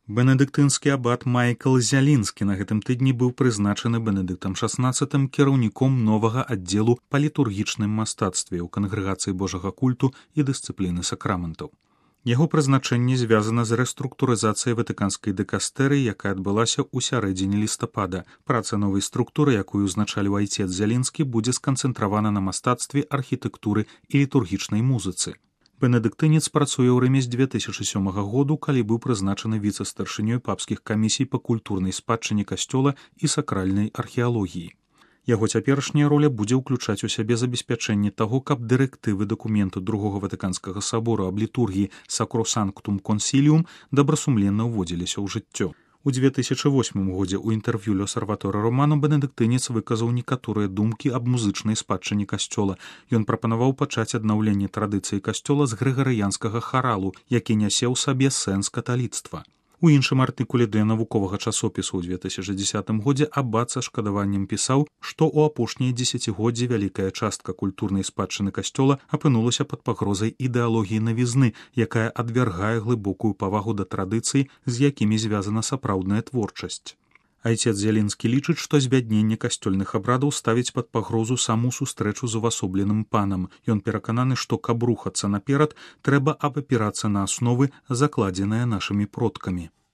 Бенедыктынскі абат Майкл Зялінскі на гэтым тыдні быў прызначаны Бенедыктам XVI кіраўніком новага аддзелу па літургічным мастацтве ў кангрэгацыі Божага культу і дысцыпліны сакраментаў. Яго прызначэнне звязана з рэструктурызацыяй ватыканскай дыкастэрыі, якая адбылася ў сярэдзіне лістапада. Праца новай структуры, якую узначаліў айцец Зялінскі, будзе сканцэнтравана на мастацтве, архітэктуры і літургічнай музыцы. Бенедыктынец працуе ў Рыме з 2007 году, калі быў прызначаны віцэ-старшынёй папскіх камісій па культурнай спадчыне касцёла і сакральнай археалогіі. Яго цяперашняя роля будзе ўключаць у сябе забеспячэнне таго, каб дырэктывы дакументу другога ватыканскага сабору аб літургіі Sacrosanctum Concilium добрасумленна ўводзіліся ў жыццё. У 2008 годзе ў інтэрв'ю L'Osservatore Romano бенедыктынец выказаў некаторыя думкі аб музычнай спадчыне касцёла. Ён прапанаваў пачаць аднаўленне традыцыі касцёла з грыгарыянскага харалу, які нясе ў сабе сэнс каталіцтва. У іншым артыкуле для навуковага часопісу ў 2010 годзе абат са шкадаваннем пісаў, што ў апошнія дзесяцігоддзі вялікая частка культурнай спадчыны касцёла апынулася пад пагрозай ідэалогіі навізны, якая адвяргае глыбокую павагу да традыцый, з якімі звязана сапраўдная творчасць. Айцец Зялінскі лічыць, што збядненне касцёльных абрадаў ставіць пад пагрозу саму сустрэчу з увасобленым панам. Ён перакананы, што каб рухацца наперад, трэба абапірацца на асновы, закладзеныя нашымі продкамі.